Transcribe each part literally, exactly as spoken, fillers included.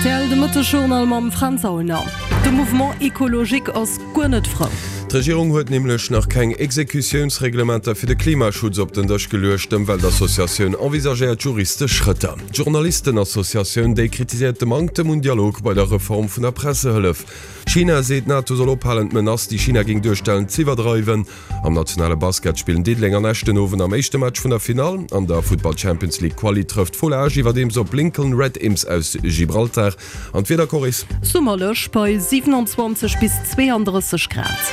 Rtl, de Mëttesjournal mam Fränz Aulner. De Mouvement Ecologique ass guer net frou. D'Regierung huet nämlech nach keng Exekutiounsreglementer fir de Klimaschutz op den Dësch geluecht. D'Ëmweltassociatioun envisagéiert juristesch Schrëtter. D'Journalistenassociatioun déi kritiséiert de Manktem un Dialog bei der Reform vun der Pressehëllef. China seet, d'NATO soll ophalen d'Menace, déi China géing duerstellen, z'iwwerdreiwen. Am nationale Basket spillen Diddeleng an Esch den Owend am éischte Match vun der Finall. An der Futtball Champions League Quali trëfft Fola Esch iwwerdeems op Lincoln Red Imps aus Gibraltar. An d'Wieder, Coris? Summerlech bei siewenundzwanzeg bis zweeandrësseg Grad.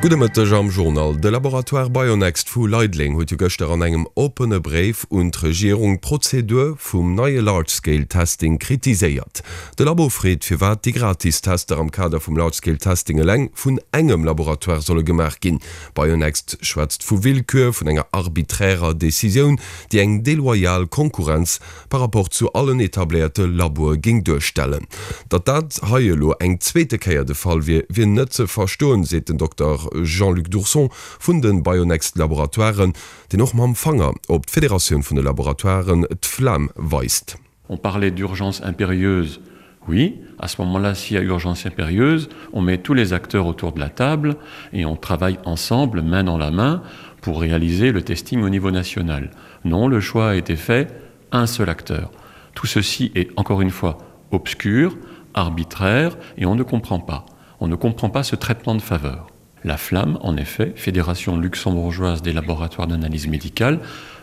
Gudde Mëtteg am Journal. De Laboratoire Bionext vu Leideleng huet jo gëschter an engem oppene Bréif un d'Regierung d'Prozedur vum neie Large Scale Testing kritiséiert. De Labo freet, firwat déi gratis Tester am Kader vum Large Scale Testing eleng vun engem Laboratoire solle gemaach ginn. Bionext schwätzt vu Willkür, vun enger arbiträrer Decisioun, déi eng deloyal Konkurrenz par rapport zu allen etabléierte Laboe géing duerstellen. Datt dat hei elo eng zweete Kéier de Fall wier, wier net ze verstoen, seet den Dokter Jean-Luc Dourson vun de Bionext Laboratoiren, deen och mam Fanger op d'Federatioun vun de Laboratoiren, d'Flam, weist. On parlait d'urgence impérieuse, oui, à ce moment-là, s'il y a urgence impérieuse, on met tous les acteurs autour de la table et on travaille ensemble, main dans la main, pour réaliser le testing au niveau national. Non, le choix a été fait, un seul acteur. Tout ceci est encore une fois obscur, arbitraire et on ne comprend pas. On ne comprend pas ce traitement de faveur. La Flamme, en effet, Fédération luxembourgeoise des laboratoires d'analyse médicale,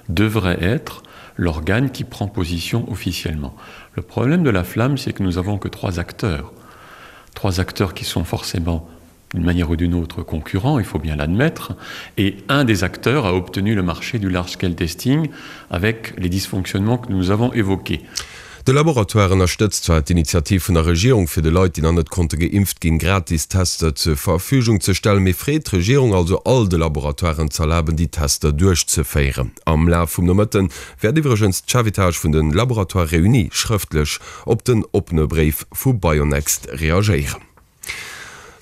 devrait être l'organe qui prend position officiellement. Le problème de la Flamme, c'est que nous avons que trois acteurs. Trois acteurs qui sont forcément d'une manière ou d'une autre concurrents, il faut bien l'admettre, et un des acteurs a obtenu le marché du large scale testing avec les dysfonctionnements que nous avons évoqués. De Laboratoire ënnerstëtzt zwar d'Initiativ vun der Regierung, fir de Leit, déi nach net konnte geimpft ginn, gratis Tester zur Verfügung ze stellen, mee freet d'Regierung also all de Laboratoiren z'erlaben, déi Tester duerchzeféieren. Am Laf vum Nomëtte wäert iwwregens d'Chefetage vun de Laboratoires Réunis schrëftlech op den oppene Bréif vu Bionext reagéieren.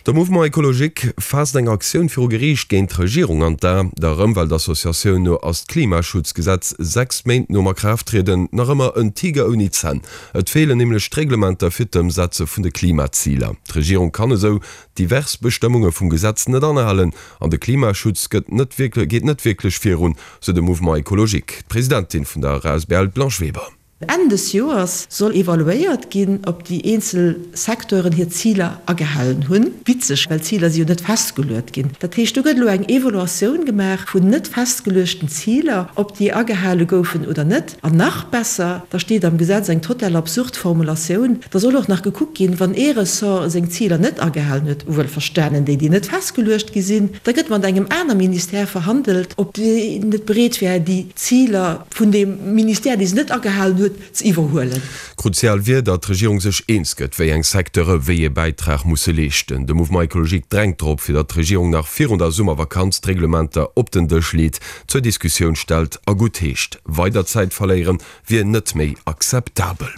De Mouvement Ecologique faasst eng Aktioun viru Geriicht géint d'Regierung an d'A. Der Ëmweltassociatioun no ass d'Klimaschutzgesetz sechs Méint nom Akraafttrieden nach ëmmer en Tiger ouni Zänn. Et feelen nämlech d'Reglementer fir d'Ëmsetze vun de Klimaziler. D'Regierung kann esou divers Bestëmmunge vum Gesetz net anhalen an de Klimaschutz gëtt net geet net wierklech virun, sou de Mouvement Ecologique. D'Presidentin vun der asbl, d'Blanche Weber. Enn des Joers soll evaluéiert ginn, ob déi eenzel Secteuren hir Ziler agehalen hunn. Witzeg, well d'Ziler si jo net festgeluet ginn. Dat heescht, do gëtt elo eng Evaluatioun gemaach vun net festgeluechten Ziler, ob déi agehale goufen oder net. An nach besser, da steet am Gesetz eng total absurd Formulatioun, da soll och nach gekuckt ginn, wann ee Ressort seng Ziler net agehalen huet, wuelverstanen déi, déi net festgeluecht gi sinn, da gëtt mat engem aner Ministère verhandelt, ob deen net bereet wär, déi Ziler vun deem Ministère, dee se net agehalen huet, ze iwwerhuelen. Kruzial wier, datt d'Regierung sech eens gëtt, wéi eng Secteure wéi ee Bäitrag musse leeschten. De Mouvement Ecologique drängt drop, fir datt d'Regierung nach virun der Summervakanz d'Reglementer op den Dësch leet, zur Diskussioun stellt a guttheescht. Weider Zäit verléiere wier net méi akzeptabel.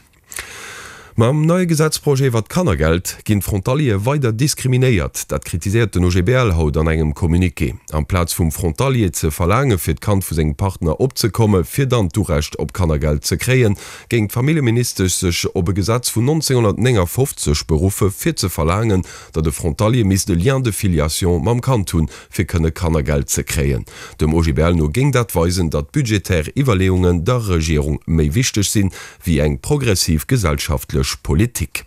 Mam neie Gesetzprojet iwwert d'Kannergeld ginn d'Frontaliere weider diskriminéiert. Dat kritiséiert den O G B L haut an engem Communiqué. Amplaz vum Frontalier ze verlaange fir d'Kand vu sengem Partner opzekomme fir dann d'Urecht op Kannergeld ze kréien, géing d'Familljeministesch sech op e Gesetz vun nonzénghonnertnéngafofzeg beruffe fir ze verlaangen, datt e Frontalier misst e Lien de filiation mam Kand hunn, fir kënne Kannergeld ze kréien. Dem O G B L no géing dat weisen, datt budgetär Iwwerleeungen der Regierung méi wichteg sinn, wéi eng progressiv gesellschaftlech Politik.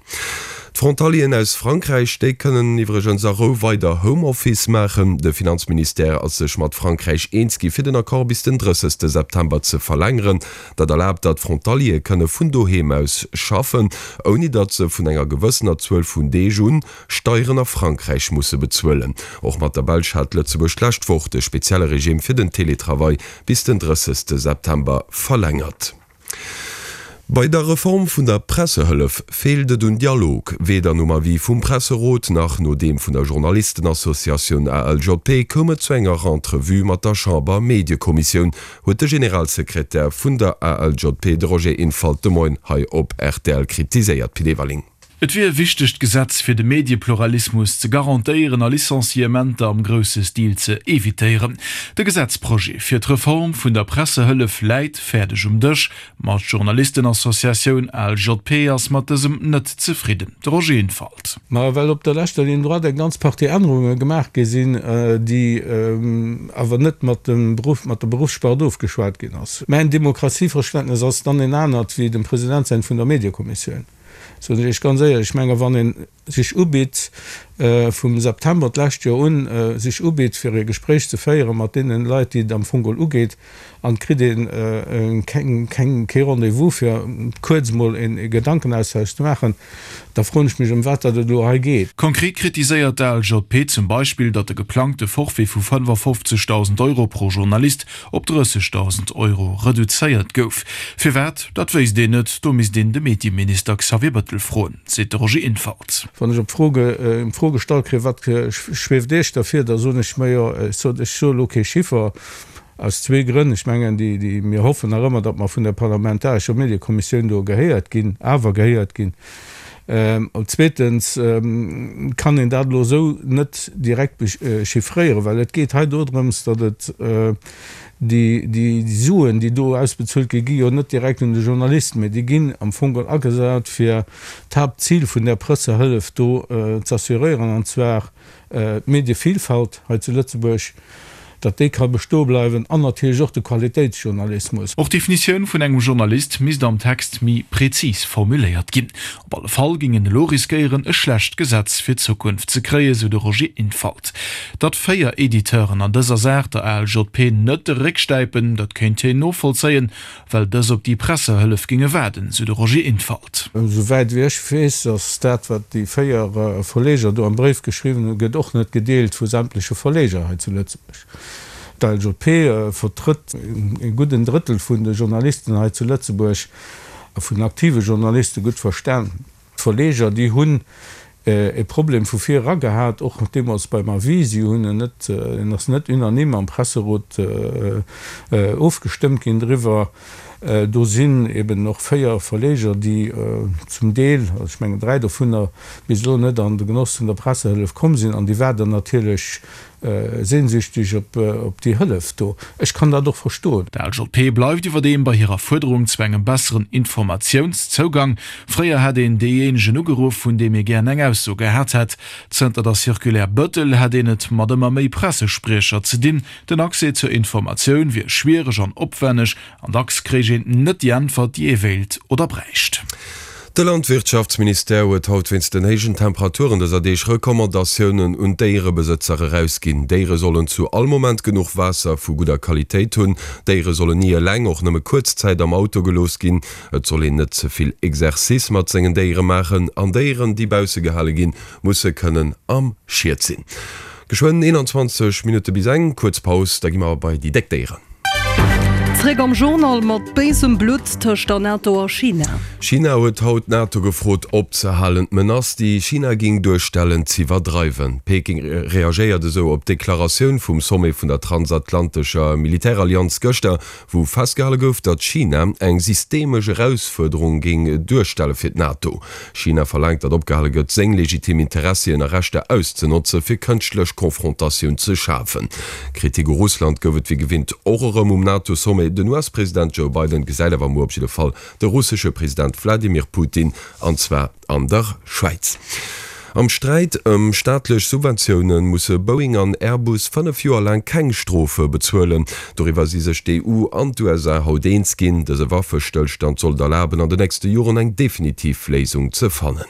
D'Frontalieren aus Frankräich, déi kënnen iwwregens a Rou weider Homeoffice maachen. De Finanzministère ass sech mat Frankräich eens gi fir den Accord bis den drëssegste September ze verlängeren. Dat erlaabt, datt Frontaliere kënne vun doheem aus schaffen, ouni datt se vun enger gewëssener Zuel vun Deeg un Steieren a Frankräich musse bezuelen. Och mat der Belsch hat Lëtzebuerg d'lescht Woch de spezielle Regime fir den Teletravail bis den drëssegste September verlängert. Bei der Reform vun der Pressehëllef feelt et un Dialog. Weder nom Avis vum Presserot nach no deem vun der Journalistenassociatioun A L J P koum et zu enger Entrevue mat der Chamber-Mediekommissioun, huet de Generalsekretär vun der A L J P, de Roger Infalt, de Moien hei op R T L kritiséiert. Pit Everling. Et wier e wichtegt Gesetz fir de Mediepluralismus ze garantéieren a Licenciementer am grousse Stil ze evitéieren. De Gesetzprojet fir d'Reform vun der Pressehëllef läit fäerdeg um Dësch, ma d'Journalistenassociatioun ALJP ass mat dësem net zefridden. De Roger Infalt. Ma well op der leschter Ligne droite eng ganz Partie Ännerunge gemaach gi sinn, déi awer net mat dem Beruff, mat der Beruffsspart ofgeschwat ginn ass. Mäin Demokratieverständnes ass dann en anert wéi dem President säint vun der Mediekommissioun. Soen ech Iech ganz éierlech. Ech menge wann ee sech ubitt, vum September d'lescht Joer un, sech ubitt fir e Gespréich ze féiere mat deene Leit, déi et am Fong geholl ugeet, an et kritt ee keng, keng, kee Rendez-vous fir kuerz emol e Gedankenaustausch ze maachen, da froen ech mech ëm wat dat et elo hei geet. Konkret kritiséiert d'ALJP zum Beispill, datt de geplangte Forfait vu fënnefafofzegdausend Euro pro Journalist op drëssegdausend Euro reduzéiert gouf. Firwat, dat wéisst een net, do misst een de Medieminister Xavier Bettel froen, seet de Roger Infalt. Wann ech op d'Fro gestallt kréien, Wat schwieft Iech da vir, da soen ech, Majo, ech soe elo kee Chiffer, aus zwee Grënn. Ech mengen, déi, mir hoffen nach ëmmer, datt mer vun der parlamentarescher Mediekommissioun do gehéiert ginn, awer gehéiert ginn. Zweetens kann een dat elo esou net direkt chiffréieren, well et geet hei dodrëms, datt et déi Suen, déi do ausbezuelt ginn, gi jo net direkt un de Journalist, mä déi ginn am Fong geholl agesat, fir d'Haaptzil vun där Pressehëllef do z'assuréieren, an zwar d'Medievielfalt hei zu Lëtzebuerg. datt déi ka bestoe bleiwen an natierlech och de Qualitéitsjournalismus. Och d'Definitioun vun engem Journalist misst am Text méi prezis formuléiert ginn. Op alle Fall géing een elo riskéieren, e schlecht Gesetz fir d'Zukunft ze kréien, sou de Roger Infalt. Datt véier Editeuren an dëser Saach der ALJP net de Réck stäipen, dat kéint hien novollzéien, well dës op déi Pressehëllef géinge waarden, sou de Roger Infalt. Esouwäit wéi ech weess, ass dat, wat déi véier Verleger do am Bréif geschriwwen hunn, gëtt och net gedeelt vu sämtleche Verleger hei zu Lëtzebuerg. D'ALJP vertrëtt e gudden Drëttel vun de Journalisten hei zu Lëtzebuerg, a vun den aktive Journaliste gutt verstan. D'Verleger, déi hunn e Problem vu vir era gehat, och deemools beim Avis. Si hunn en net, en ass net unanime am Presserot ofgestëmmt ginn driwwer. Do sinn eben och véier Verleger, déi zum Deel, also ech mengen dräi dovunner, bis elo net an de Genoss vun der Pressehëllef komm sinn an déi waarden natierlech sehnsüchtig op déi Hëllef do. Ech kann dat och verstoen. D'ALJP bleift iwwerdeem bei hirer Fuerderung zu engem besseren Informatiounszougang. Fréier hätt een deejéinegen ugeruff, vun deem ee gären eng Ausso gehat hätt. Zënter der Circulaire Bettel hätt een et mat ëmmer méi Pressespriecher ze dinn. Den Accès zur Informatioun wier schwiereg an opwänneg an dacks kréich een net déi Äntwert, déi ee wéilt oder bräicht. De Landwirtschaftsministère huet haut wéinst den héijen Temperaturen dëser Deeg Recommandatiounen un d'Déierebesëtzer erausginn. Déiere sollen zu all Moment genuch Waasser vu gudder Qualitéit hunn. Déiere sollen ni eleng, och nëmme kuerz Zäit am Auto gelooss ginn. Et soll een net ze vill Exercice mat sengen Déiere maachen an Déieren, déi bausse gehale ginn, musse kënnen am Schiet sinn. Geschwënn eenanzwanzeg Minutte bis eng, kuerz Paus, da gi mer bei déi déck Déieren. Zréck am Journal mat béisem Blutt tëscht der NATO a China. China huet haut d'NATO gefrot opzehalen, d'Menace, déi China géing duerstellen, z'iwwerdreiwen. Peking reagéiert esou op d'Deklaratioun vum Sommet vun der transatlantescher Militärallianz gëschter, wou festgehale gouf, datt China eng systemesch Erausfuerderung géing duerstelle fir d'NATO. China verlaangt, datt opgehale gëtt, seng legitim Interessien a Rechter auszenotze fir kënschtlech Konfrontatioun ze schafen. Kritik u Russland gouf et wéi gewinnt och erëm um NATO-Sommet. Den U S-President Joe Biden gesäit awer muer op jidde Fall de russesche President Wladimir Putin, an zwar an der Schwäiz. Am Sträit ëm staatlech Subventioune musse Boeing an Airbus fënnef Joer laang keng Strofe bezuelen. Doriwwer si sech d'E U an d'U S A haut eens ginn. Dëse Waffestëllstand soll et erlaben, an de nächste Joren eng definitiv Léisung ze fannen.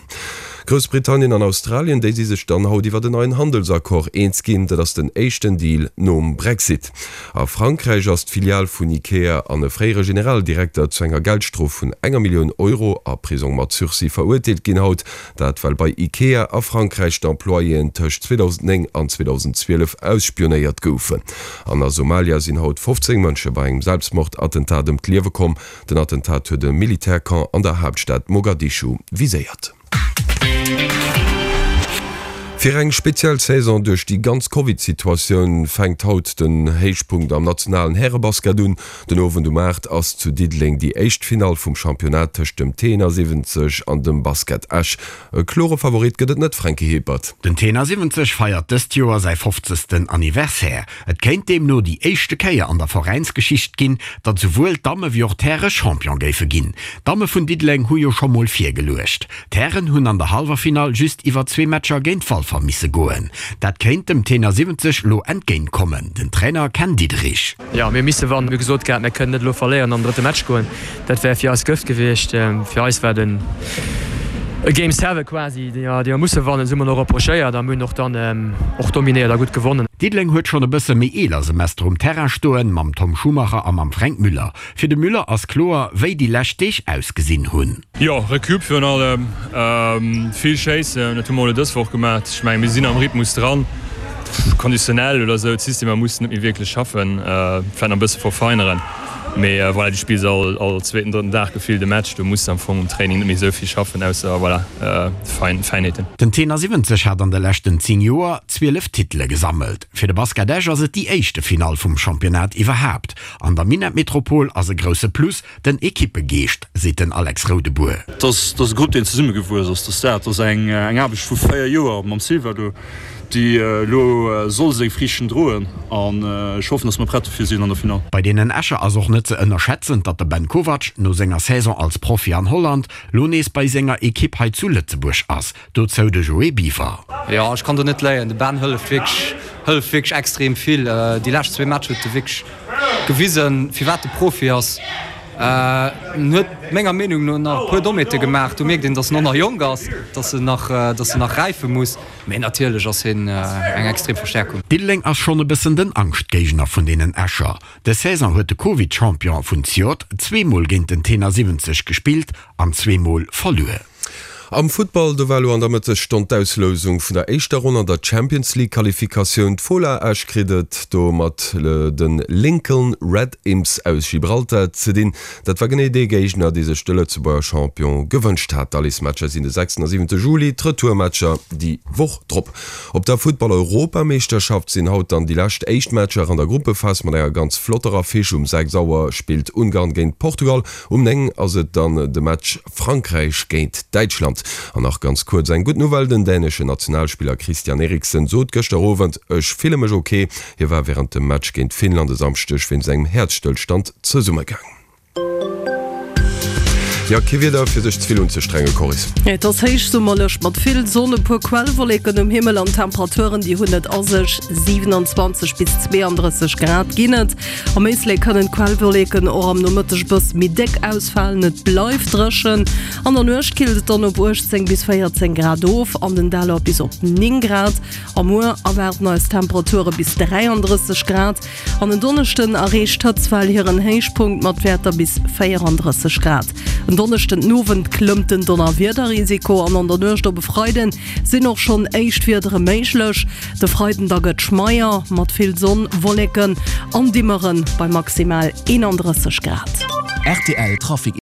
Groussbritannien an Australien, déi si sech dann haut iwwer en neien Handelsaccord eens ginn. Dat ass den éischten Deal nom Brexit. A Frankräich ass d'Filial vun Ikea an e fréiere Generaldirekter zu enger Geldstrof vun enger Millioun Euro a Prisong mat Sursis verurteelt ginn haut. Dat well bei Ikea a Frankräich d'Employéen tëscht zweedausendnéng an zweedausendzwielef ausspionéiert goufen. An a Somalia sinn haut fofzéng Mënsche bei engem Selbstmordattentat ëm d'Liewe komm. Den Attentat huet e Militärcamp an der Haaptstad Mogadischu viséiert. Fir eng speziell Saison duerch déi ganz Covid-Situatioun fänkt haut den Héichpunkt am nationalen Härebasket un. Den Owend um aacht ass zu Diddeleng déi éischt Finall vum Championnat tëscht dem T siwwenzeg an dem Basket Esch. E klore Favorit gëtt et net, Franky Hippert. Den T siwwenzeg feiert dëst Joer säi fofzegsten Anniversaire. Et kéint deemno déi éischte Kéier an der Veräinsgeschicht ginn, datt souwuel d'Damme wéi och d'Häre Champion géife ginn. D'Damme vun Diddeleng hu jo scho mol virgeluecht. D'Hären hunn an der Hallwerfinall just iwwer zwee Matcher géint Walfer misse goen. Dat kéint dem Tenor siwwenzeg lo entgéint kommen. Den Trainer Ken Diederich. Jo, mir misse wannen. Mir hu gesot gehat, mir kënnen net elo verléieren an an den drëtte Match goen. Dat wär fir eis Gëft gewiescht. Fir eis war den e Game Seven quasi, déi mer musse wannen. Esou hu mer och approchéiert a mir hunn och dann och dominéiert a gutt gewonnen. Diddeleng huet schonn e bësse méi eeler Semester um Terrain stoen, mam Tom Schumacher a mam Fränk Müller. Fir de Müller ass kloer, wéi déi lescht Deeg ausgesinn hunn. Jo, Recup virun allem, vill schéissen, dat hu mer elo dës Woch gemaach. Ech mengen, mir sinn am Rhythmus dran, konditionell oder esou, d'Systemer mussen net méi wierklech schaffen, vläicht nach e bësse verfeineren. Mee voilà, du spills all all zweeten, drëtten Dag gefillt e Match, do muss de am Fong um Training net méi esou vill schaffen, ausser voilà, fein Feinheeten. Den Tenor siwwenzeg hat an de leschten zéng Joer zwielef Titele gesammelt. Fir de Basket Esch ass et déi éischte Finall vum Championnat iwwerhaapt. An der Minett-Metropol ass e grousse Plus den Ekippegeescht, seet den Alex Roudebour. Et ass e Grupp, deen zesummegewuess ass. Dat ass eng Aarbecht vu véier Joer mam Silva do. Déi elo soll seng Friichten droen an ech hoffen, dass mer prett dofir sinn an der Finall. Bei deenen Escher ass och net ze ënnerschätzen, datt de Ben Kovac no senger Saison als Profi an Holland lo nees bei senger Ekipp hei zu Lëtzebuerg ass. Dozou de Joé Biver. Jo, ech kann do net léien. De Ben hëlleft wierklech, hëlleft wierklech extrem vill. Déi lescht zwee Matcher huet e wierklech gewisen, firwat e Profi ass. En huet menger Meenung no nach e puer Dommheete gemaach. Do mierkt een, datt en och nach jonk ass, datt en nach, datt en nach räife muss. Mee natierlech ass hien eng extrem Verstäerkung. Diddeleng ass schonn e bëssen den Angschtgéigner vun deenen Escher. Dës Saison huet de Covid-Champion vun Ziot zweemol géint den Tenor siwwenzeg gespillt an zweemol verluer. Am Futtball, do war elo an der Mëttesstonn d'Auslousung vun der éischter Ronn an der Champions League Qualifikatioun. D'Fola Esch kritt et do mat de Lincoln Red Imps aus Gibraltar ze dinn. Dat war genee dee Géigner, dee sech de Lëtzebuerger Champion gewënscht hat. D'Allesmatcher sinn de sechsten a siwente Juli, d'Retourmatcher déi Woch drop. Op der Futtball-Europameeschterschaft sinn haut dann déi lescht éischt Matcher an der Gruppephas mat enger ganz flotter Affiche. Um sechs Auer spillt Ungarn géint Portugal, um néng ass et dann de Match Frankräich géint Däitschland. An nach ganz kuerz eng gutt Nouvelle, Den däneschen Nationalspiller Christian Eriksen sot gëschter Owend, Ech fille mech ok. Hie war wärend dem Match géint Finnland e Samschdeg wéinst engem Häerzstëllstand zesummegaang. Jo, kee Wieder fir sech ze vill unzestrengen, Coris. Et ass héichsummerlech mat vill Sonn, e puer Quellwolleken um Himmel an Temperaturen, déi hunn et a sech, siewenundzwanzeg bis zweeëndrësseg Grad ginn et. Am Éislek kënnen d'Quellwolleken och am Nomëtteg e bësse méi déck ausfalen, et bleift dréchen. An der Nuecht killt et dann op uechtzéng bis véierzéng Grad of, an den Däller bis op néng Grad. A muer erwaarden eis Temperature bis dräiandrësseg Grad an en Donneschden erreecht d'Hëtztwell hiren Héichpunkt mat Wäerter bis véierandrësseg Grad. En Donneschden den Owend klëmmt den Donnerwiederrisiko an an der Nuecht op e Freiden sinn och schonn éischt Wiedere méiglech. De Freiden da gëtt schmeier mat vill Sonn, Wolleken an Dimmere bei maximal eenandrësseg Grad. Rtl Trafic.